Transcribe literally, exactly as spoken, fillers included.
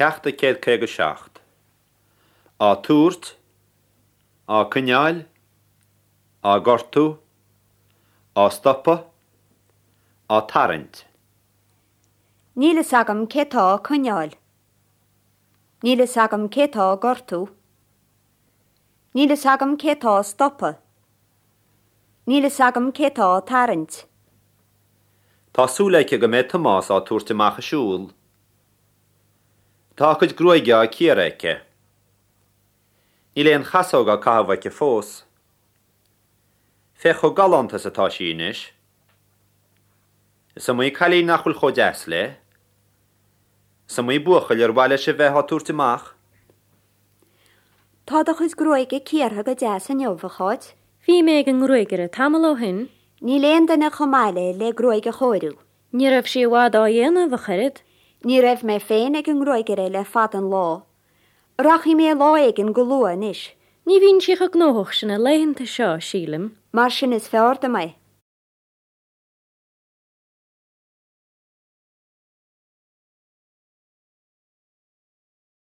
Ceacht a céad caoga seacht. Á tabhairt, á coinneáil, á gortú, á stopadh, á tarraingt. Níl a fhios agam cé tá á coinneáil. Níl a fhios agam cé tá á gortú. Níl a fhios agam cé tá á stopadh. Níl a fhios agam cé tá á tarraingt. Tá súil aici go mbeidh Tomás á tabhairt amach ag siúl. Tá a cuid gruaige á cíoradh aici. Níl aon chasóg á caitheamh aici fós. Féach chomh galánta is atá sí anois. Is iomaí cailín nach bhfuil chomh deas léi. Is iomaí buachaill ar mhaith leis a bheith á tabhairt amach. Tá do chuid gruaige cíortha go deas inniu, a Cháit. Bhí mé ag an ngruagaire tamall ó shin. Níl aon duine chomh maith léi le gruaig a chóiriú. Ní raibh sí i bhfad á dhéanamh, a chara. Ní raibh mé féin ag an ngruagaire le fada an lá. Rachaidh mé lá éigin go luath anois. Ní bhíonn sí chomh gnóthach sin na laethanta seo, sílim. Mar sin is fearr dom é.